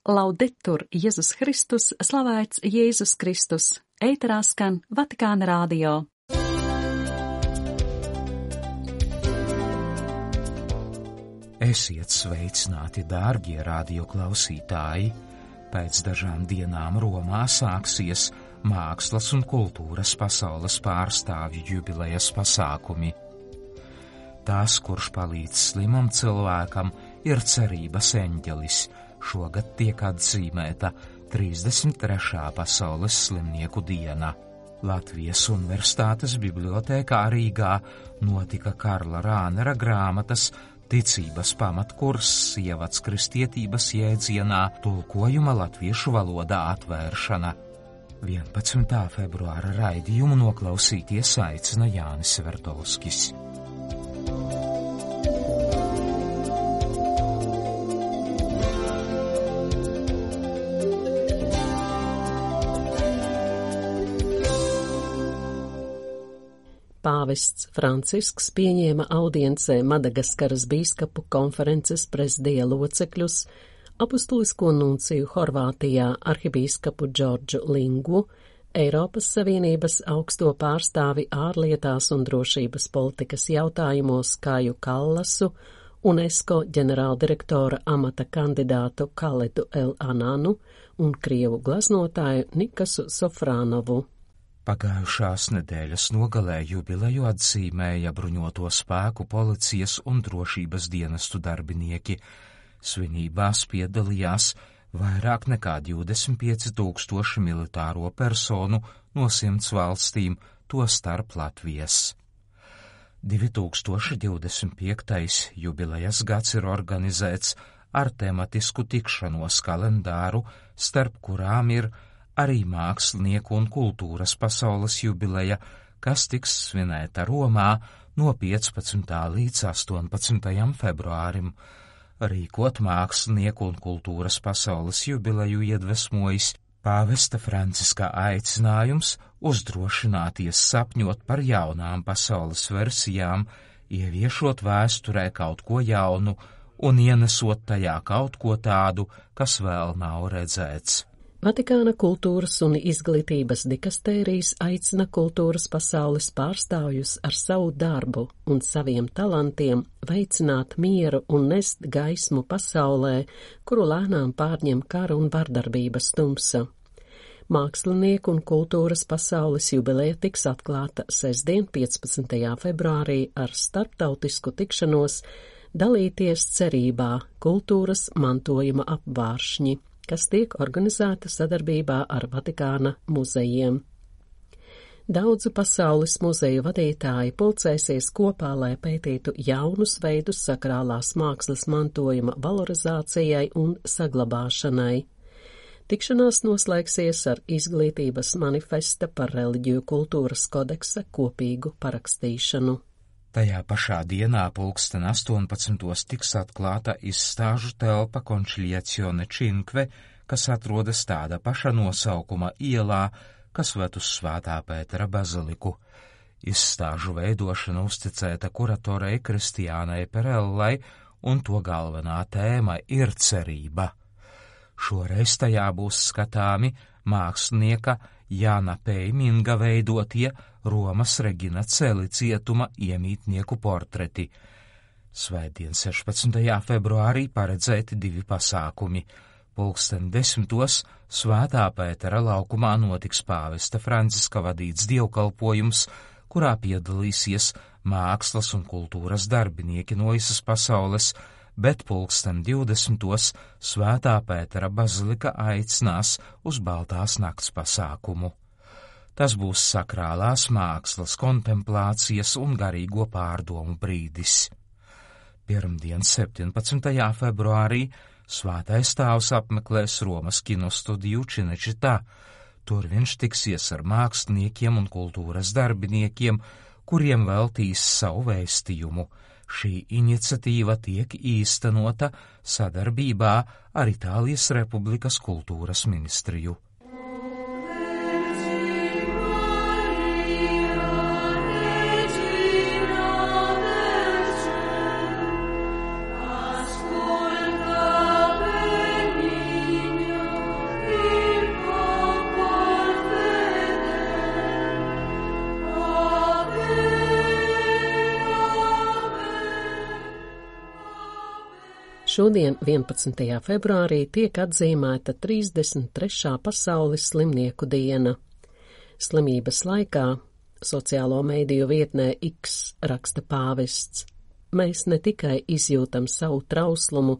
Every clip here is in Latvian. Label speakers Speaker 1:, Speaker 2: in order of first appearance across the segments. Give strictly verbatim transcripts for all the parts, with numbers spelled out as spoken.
Speaker 1: Laudetur Jēzus Kristus, slavēts Jēzus Kristus, ēterā skan Vatikāna radio.
Speaker 2: Esiet sveicināti, dārgie radioklausītāji! Pēc dažām dienām Romā sāksies mākslas un kultūras pasaules pārstāvju jubilejas pasākumi. Tās, kurš palīdz slimam cilvēkam, ir cerības eņģelis. Šogad tiek atzīmēta trīsdesmit trešā pasaules slimnieku diena. Latvijas Universitātes bibliotēkā Rīgā notika Karla Rānera grāmatas Ticības pamatkurss ievads kristietības jēdzienā tulkojuma latviešu valodā atvēršana. vienpadsmitā februāra raidījumu noklausīties aicina Jānis Vertovskis.
Speaker 3: Pāvests Francisks pieņēma audiencē Madagaskaras bīskapu konferences prezidija locekļus, apustulisko nunciju Horvātijā arhibīskapu Džordžu Lingu, Eiropas Savienības augsto pārstāvi ārlietās un drošības politikas jautājumos Kāju Kallasu, UNESCO ģenerāldirektora amata kandidātu Kaledu El Ananu un krievu gleznotāju Nikasu Sofrānovu.
Speaker 2: Pagājušās nedēļas nogalē jubileju atzīmēja bruņoto spēku, policijas un drošības dienestu darbinieki. Svinībās piedalījās vairāk nekā divdesmit pieci tūkstoši militāro personu no simts valstīm, tostarp Latvijas. divi tūkstoši divdesmit piektais jubilejas gads ir organizēts ar tematisku tikšanos kalendāru, starp kurām ir arī mākslinieku un kultūras pasaules jubileja, kas tiks svinēta Romā no piecpadsmitā līdz astoņpadsmitajam februārim. Rīkot mākslinieku un kultūras pasaules jubileju iedvesmojis pāvesta Franciska aicinājums uzdrošināties sapņot par jaunām pasaules versijām, ieviešot vēsturē kaut ko jaunu un ienesot tajā kaut ko tādu, kas vēl nav redzēts.
Speaker 3: Vatikāna kultūras un izglītības dikastērijas aicina kultūras pasaules pārstāvjus ar savu darbu un saviem talantiem veicināt mieru un nest gaismu pasaulē, kuru lēnām pārņem kara un vardarbības tumsa. Mākslinieku un kultūras pasaules jubileja tiks atklāta sestdien, piecpadsmitajā februārī ar starptautisku tikšanos dalīties cerībā kultūras mantojuma apvāršņi, kas tiek organizēta sadarbībā ar Vatikāna muzejiem. Daudzu pasaules muzeju vadītāji pulcēsies kopā, lai pētītu jaunus veidus sakrālās mākslas mantojuma valorizācijai un saglabāšanai. Tikšanās noslēgsies ar izglītības manifesta par reliģiju kultūras kodeksa kopīgu parakstīšanu.
Speaker 2: Tajā pašā dienā pulksten astoņpadsmitos tiks atklāta izstāžu telpa Conciliazione Cinque, kas atrodas tāda paša nosaukuma ielā, kas ved uz Svētā Pētera baziliku. Izstāžu veidošana uzticēta kuratorei Kristiānai Perellai, un to galvenā tēma ir cerība. Šoreiz tajā būs skatāmi mākslinieka Jāna Peiminga veidotie Romas Regina Celi cietuma iemītnieku portreti. Svētdien sešpadsmitajā februārī paredzēti divi pasākumi. Pulksten desmitos Svētā Pētera laukumā notiks pāvesta Franciska vadīts dievkalpojums, kurā piedalīsies mākslas un kultūras darbinieki no visas pasaules, bet pulksten divdesmitos Svētā Pētera bazilika aicinās uz Baltās nakts pasākumu. Tas būs sakrālās mākslas, kontemplācijas un garīgo pārdomu brīdis. Pirmdien, septiņpadsmitajā februārī, Svētais Tēvs apmeklēs Romas kinostudiju Cinecittā. Tur viņš tiksies ar māksliniekiem un kultūras darbiniekiem, kuriem veltīs savu vēstījumu. Šī iniciatīva tiek īstenota sadarbībā ar Itālijas Republikas kultūras ministriju.
Speaker 4: Ascolta bene
Speaker 3: Šodien, vienpadsmitajā februārī, tiek atzīmēta trīsdesmit trešā pasaules slimnieku diena. Slimības laikā sociālo mediju vietnē X raksta pāvests. Mēs ne tikai izjūtam savu trauslumu,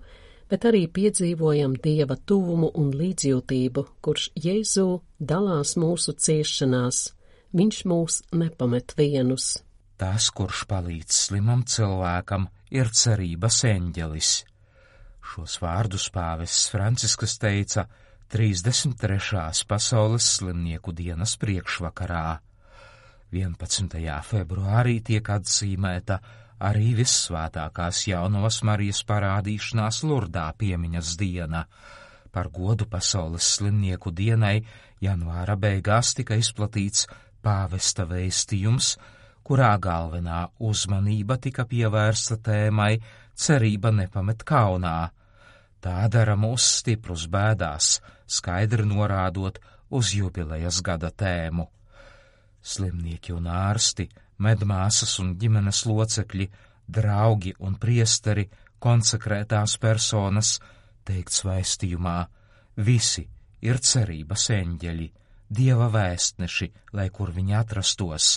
Speaker 3: bet arī piedzīvojam Dieva tuvumu un līdzjūtību, kurš Jēzū dalās mūsu ciešanās. Viņš mūs nepamet vienus.
Speaker 2: Tas, kurš palīdz slimam cilvēkam, ir cerības eņģelis. Šos vārdus pāvests Francisks teica trīsdesmit trešās pasaules slimnieku dienas priekšvakarā. vienpadsmitajā februārī tiek atzīmēta arī vissvētākās Jaunavas Marijas parādīšanās Lurdā piemiņas diena. Par godu pasaules slimnieku dienai janvāra beigās tika izplatīts pāvesta vēstījums, kurā galvenā uzmanība tika pievērsta tēmai cerība nepamet kaunā. Tā dara mūs stiprus bēdās, skaidri norādot uz jubilejas gada tēmu. Slimnieki un ārsti, medmāsas un ģimenes locekļi, draugi un priesteri, konsekrētās personas, teikts vēstījumā, visi ir cerības eņģeļi, Dieva vēstneši, lai kur viņi atrastos,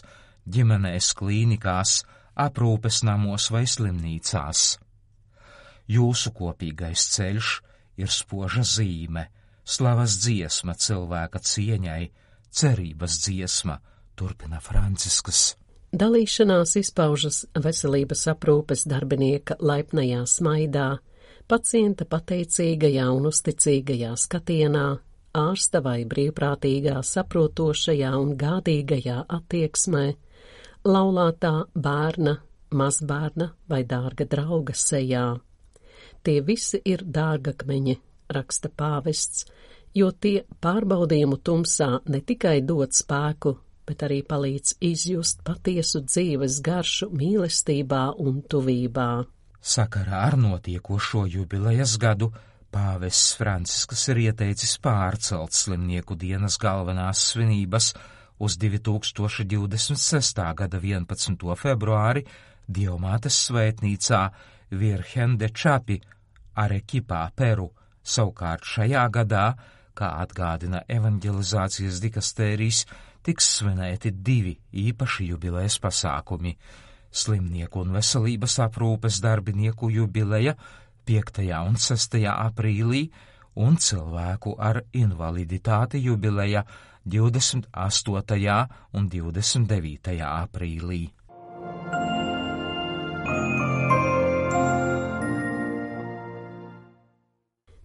Speaker 2: ģimenēs, klīnikās, aprūpes namos vai slimnīcās. Jūsu kopīgais ceļš ir spoža zīme, slavas dziesma cilvēka cieņai, cerības dziesma, turpina Francisks.
Speaker 3: Dalīšanās izpaužas veselības aprūpes darbinieka laipnajā smaidā, pacienta pateicīgajā un uzticīgajā skatienā, ārsta vai brīvprātīgā saprotošajā un gādīgajā attieksmē, laulātā bērna, mazbērna vai dārga drauga sejā. Tie visi ir dārgakmeņi, raksta pāvests, jo tie pārbaudījumu tumsā ne tikai dod spēku, bet arī palīdz izjust patiesu dzīves garšu mīlestībā un tuvībā.
Speaker 2: Sakarā ar notiekošo jubilejas gadu pāvests Francisks ir ieteicis pārcelt slimnieku dienas galvenās svinības uz divi tūkstoši divdesmit sestā gada vienpadsmito februāri Dievmātes svētnīcā Virgen de Čapi, Arekipā, Peru. Savukārt šajā gadā, kā atgādina evanģelizācijas dikastērijas, tiks svinēti divi īpaši jubilejas pasākumi - slimnieku un veselības aprūpes darbinieku jubileja piektajā un sestajā aprīlī un cilvēku ar invaliditāti jubileja divdesmit astotajā un divdesmit devītajā aprīlī.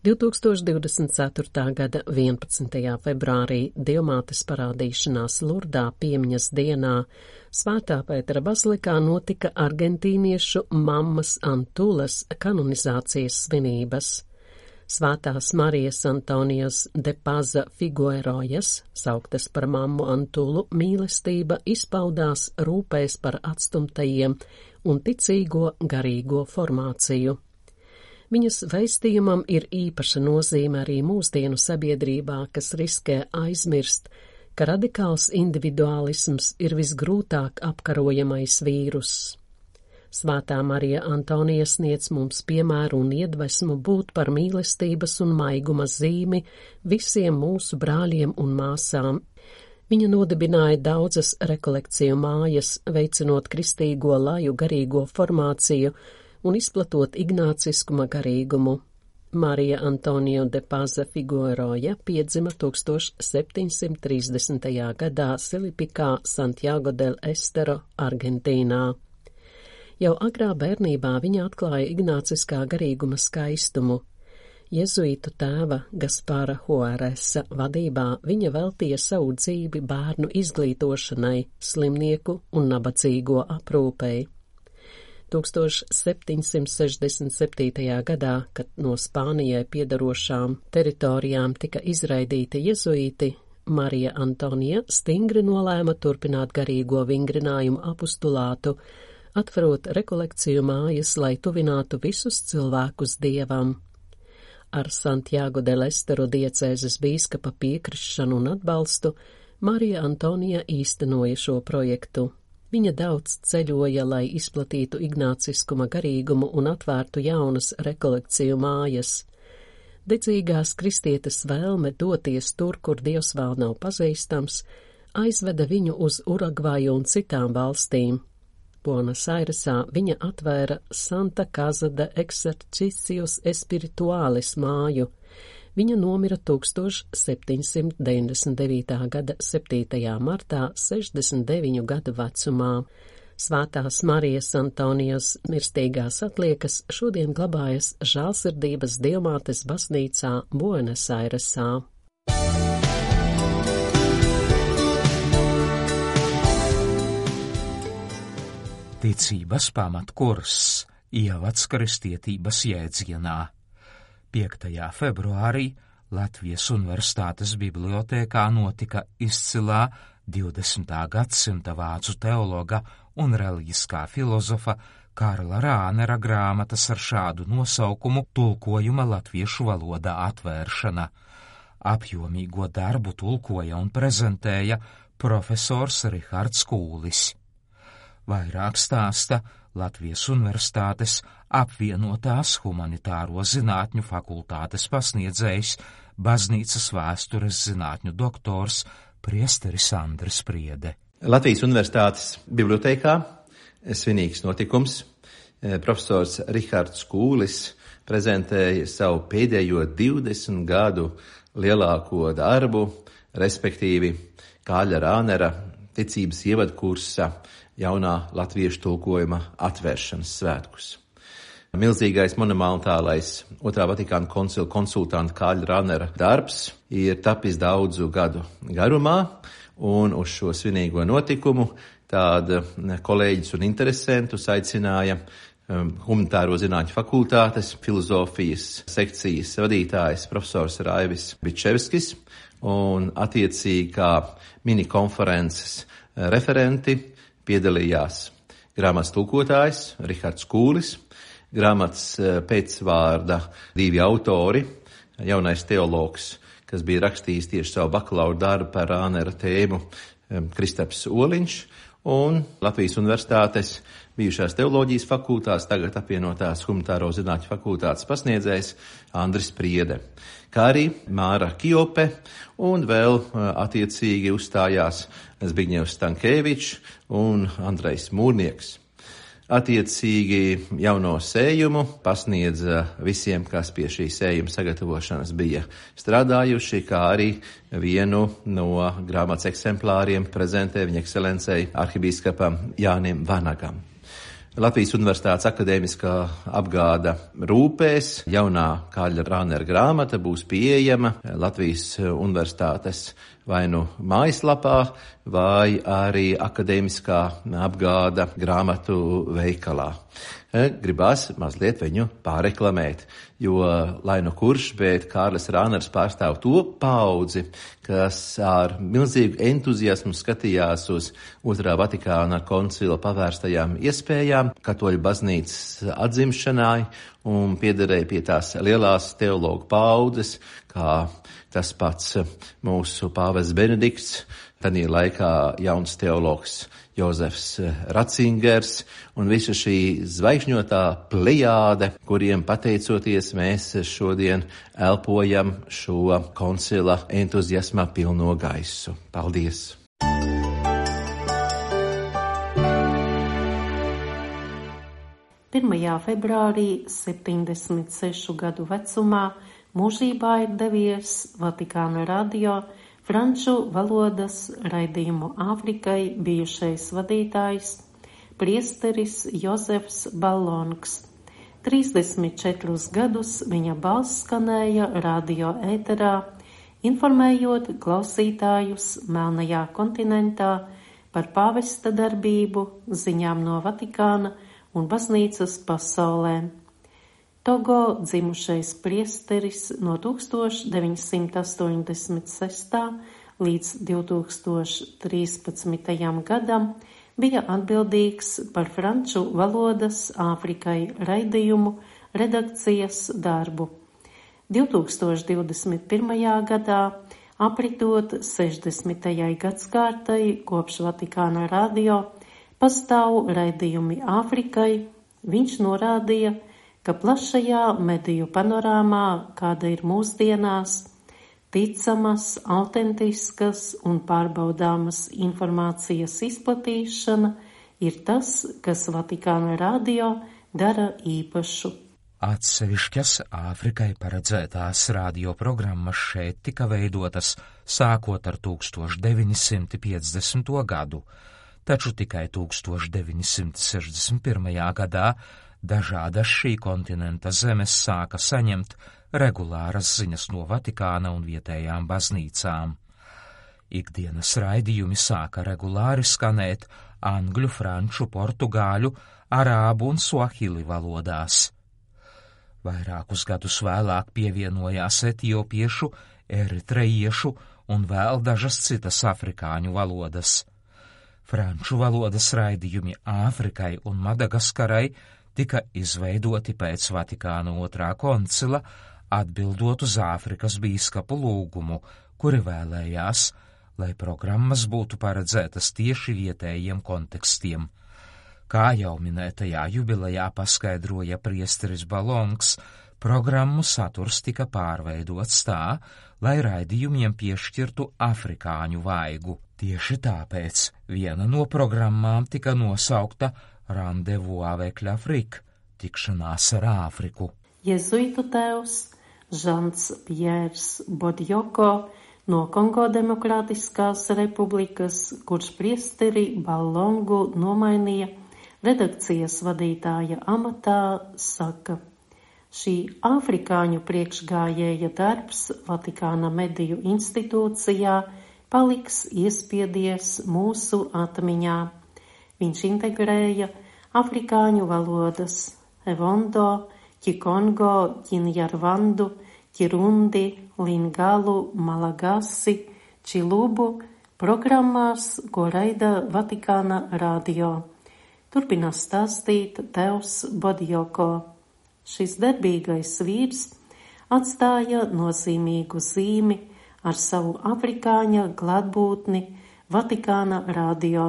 Speaker 3: divtūkstoš divdesmit ceturtā gada vienpadsmitajā februārī Dievmātes parādīšanās Lurdā piemiņas dienā Svētā Pētera bazilikā notika argentīniešu mammas Antulas kanonizācijas svinības. Svētās Marijas Antonijas de Paza Figuerojas, sauktas par mammu Antulu, mīlestība izpaudās rūpēs par atstumtajiem un ticīgo garīgo formāciju. Viņas veistījumam ir īpaša nozīme arī mūsdienu sabiedrībā, kas riskē aizmirst, ka radikāls individuālisms ir visgrūtāk apkarojamais vīruss. Svētā Marija Antonija sniedz mums piemēru un iedvesmu būt par mīlestības un maiguma zīmi visiem mūsu brāļiem un māsām. Viņa nodibināja daudzas rekolekciju mājas, veicinot kristīgo laju garīgo formāciju un izplatot ignāciskuma garīgumu. Marija Antonija de Paza Figueroja piedzima tūkstoš septiņsimt trīsdesmitajā gadā Silipikā, Santiago del Estero, Argentīnā. Jau agrā bērnībā viņa atklāja ignāciskā garīguma skaistumu. Jezuītu tēva Gaspara Juaresa vadībā viņa veltīja savu dzīvi bērnu izglītošanai, slimnieku un nabadzīgo aprūpei. tūkstoš septiņsimt sešdesmit septītajā gadā, kad no Spānijai piedarošām teritorijām tika izraidīti jezuīti, Marija Antonija stingri nolēma turpināt garīgo vingrinājumu apostulātu, atverot rekolekciju mājas, lai tuvinātu visus cilvēkus Dievam. Ar Santiago del Estero diecēzes bīskapa piekrišanu un atbalstu Marija Antonija īstenoja šo projektu. Viņa daudz ceļoja, lai izplatītu ignāciskuma garīgumu un atvērtu jaunas rekolekciju mājas. Dedzīgās kristietes vēlme doties tur, kur Dievs vēl nav pazīstams, aizveda viņu uz Urugvaju un citām valstīm. Buenos Airesā viņa atvēra Santa Casa de Exercicios Espirituales māju. Viņa nomira tūkstoš septiņsimt deviņdesmit devītā gada septītajā martā, sešdesmit deviņu gadu vecumā. Svētās Marijas Antonijas mirstīgās atliekas šodien glabājas Žēlsirdības Dievmātes baznīcā Buenos Airesā.
Speaker 2: Ticības pamatkurs ievads kristietības jēdzienā. piektajā februārī Latvijas Universitātes bibliotēkā notika izcilā divdesmitā gadsimta vācu teologa un reliģiskā filozofa Karla Rānera grāmatas ar šādu nosaukumu tulkojuma latviešu valodā atvēršana. Apjomīgo darbu tulkoja un prezentēja profesors Rihards Kūlis. Vairāk stāsta Latvijas Universitātes apvienotās humanitāro zinātņu fakultātes pasniedzējs, baznīcas vēstures zinātņu doktors priesteris Andris Priede.
Speaker 4: Latvijas Universitātes bibliotēkā svinīgs notikums. Profesors Rihards Kūlis prezentēja savu pēdējo divdesmit gadu lielāko darbu, respektīvi Kārļa Rānera ticības ievadkursa jaunā latviešu tulkojuma atvēršanas svētkus. Milzīgais monumentālais Otrā Vatikāna koncila konsultanta Kārļa Rānera darbs ir tapis daudzu gadu garumā, un uz šo svinīgo notikumu tāda kolēģis un interesentus aicināja um, humanitāro zinātņu fakultātes filozofijas sekcijas vadītājs profesors Raivis Bičevskis un attiecīgi kā mini-konferences referenti piedalījās grāmatas tulkotājs Rihards Kūlis, grāmatas pēcvārda divi autori, jaunais teologs, kas bija rakstījis tieši savu bakalaura darbu par Rānera tēmu, Kristaps Oliņš, un Latvijas Universitātes bijušās teoloģijas fakultātes, tagad apvienotās humanitāro zinātņu fakultātes pasniedzējs Andris Priede, kā arī Māra Kiope, un vēl attiecīgi uzstājās Zbigņevs Stankēvičs un Andrejs Mūrnieks. Attiecīgi jauno sējumu pasniedza visiem, kas pie šī sējuma sagatavošanas bija strādājuši, kā arī vienu no grāmatas eksemplāriem prezentē viņa ekscelencei arhibīskapam Jānim Vanagam. Latvijas Universitātes akadēmiskā apgāda rūpēs jaunā Kārļa Rānera grāmata būs pieejama Latvijas Universitātes vai nu mājaslapā, vai arī akadēmiskā apgāda grāmatu veikalā. Gribās mazliet viņu pārreklamēt, jo, lai nu kurš, bet Kārlis Rāners pārstāv to paudzi, kas ar milzīgu entuziasmu skatījās uz Otrā Vatikāna koncila pavērstajām iespējām, katoļu baznīcas atzimšanai un piederēja pie tās lielās teologu paudzes, kā tas pats mūsu pāvests Benedikts, tanī laikā jauns teologs Jozefs Ratzingers un visa šī zvaigžņotā plejāde, kuriem pateicoties mēs šodien elpojam šo koncila entuziasmā pilno gaisu. Paldies!
Speaker 5: pirmajā februārī septiņdesmit sešu gadu vecumā mūžībā ir devies Vatikāna radio franču valodas raidījumu Āfrikai bijušais vadītājs priesteris Jozefs Ballonks. trīsdesmit četrus gadus viņa balss skanēja radio ēterā, informējot klausītājus Melnajā kontinentā par pāvesta darbību, ziņām no Vatikāna un baznīcas pasaulē. Togo dzimušais priesteris no tūkstoš deviņsimt astoņdesmit sestā līdz divtūkstoš trīspadsmitajam gadam bija atbildīgs par franču valodas Āfrikai raidījumu redakcijas darbu. divtūkstoš divdesmit pirmajā gadā, apritot sešdesmitajai gadskārtai kopš Vatikāna radio, pastāv raidījumi Āfrikai. Viņš norādīja, ka plašajā mediju panorāmā, kāda ir mūsdienās, ticamas, autentiskas un pārbaudāmas informācijas izplatīšana ir tas, kas Vatikāna radio dara īpašu.
Speaker 2: Atsevišķas Āfrikai paredzētās radioprogrammas šeit tika veidotas sākot ar tūkstoš deviņi simti piecdesmito gadu, taču tikai tūkstoš deviņi simti sešdesmit pirmajā gadā dažādas šī kontinenta zemes sāka saņemt regulāras ziņas no Vatikāna un vietējām baznīcām. Ikdienas raidījumi sāka regulāri skanēt angļu, franču, portugāļu, arābu un suahili valodās. Vairākus gadus vēlāk pievienojās etiopiešu, eritrejiešu un vēl dažas citas afrikāņu valodas. Franču valodas raidījumi Āfrikai un Madagaskarai tika izveidoti pēc Vatikāna otrā koncila, atbildot uz Āfrikas bīskapu lūgumu, kuri vēlējās, lai programmas būtu paredzētas tieši vietējiem kontekstiem. Kā jau minētajā jubilejā paskaidroja priesteris Balongs, programmu saturs tika pārveidots tā, lai raidījumiem piešķirtu afrikāņu vaigu. Tieši tāpēc viena no programmām tika nosaukta Rendezvous avec l'Afrique, tikšanās ar Āfriku.
Speaker 5: Jezuitu tēvs Žants Pjērs Bodjoko no Kongo Demokrātiskās republikas, kurš priesteri Balongu nomainīja redakcijas vadītāja amatā, saka, šī afrikāņu priekšgājēja darbs Vatikāna mediju institūcijā paliks iespiedies mūsu atmiņā. Viņš integrēja afrikāņu valodas Evondo, Kikongo, Kinyarvandu, Kirundi, Lingalu, Malagasi, Čilubu programmās, ko raida Vatikāna radio. Turpina stāstīt tēvs Bodjoko. Šis darbīgais vīrs atstāja nozīmīgu zīmi ar savu afrikāņa klātbūtni Vatikāna radio.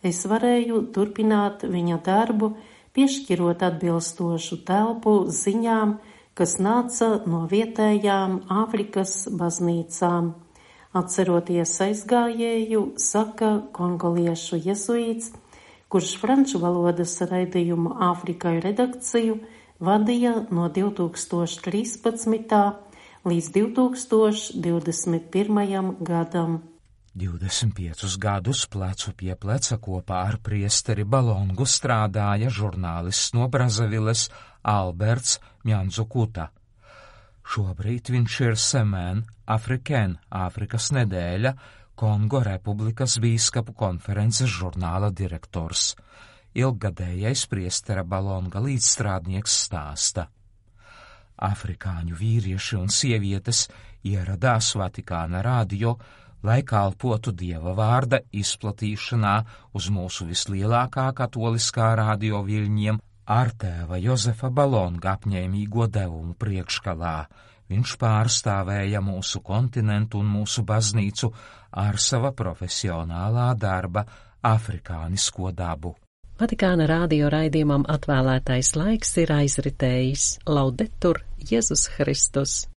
Speaker 5: Es varēju turpināt viņa darbu, piešķirot atbilstošu telpu ziņām, kas nāca no vietējām Āfrikas baznīcām. Atceroties aizgājēju, saka kongoliešu jezuīts, kurš franču valodas raidījumu Āfrikai redakciju vadīja no divi tūkstoši trīspadsmitā līdz divi tūkstoši divdesmit pirmajam gadam.
Speaker 2: divdesmit piecus gadus plecu pie pleca kopā ar priesteri Balongu strādāja žurnālists no Brazaviles Alberts Mjanzukuta. Šobrīd viņš ir Semēn Afrikēn, Āfrikas nedēļa, Kongo Republikas bīskapu konferences žurnāla direktors. Ilggadējais priestera Balonga līdzstrādnieks stāsta. Afrikāņu vīrieši un sievietes ieradās Vatikāna radio, lai kalpotu Dieva vārda izplatīšanā uz mūsu vislielākā katoliskā radio viļņiem ar tēva Jozefa Balonga apņēmīgo devumu priekškalā. Viņš pārstāvēja mūsu kontinentu un mūsu baznīcu ar sava profesionālā darba afrikānisko dabu.
Speaker 3: Vatikāna radio raidījumam atvēlētais laiks ir aizritējis. Laudetur Jēzus Kristus!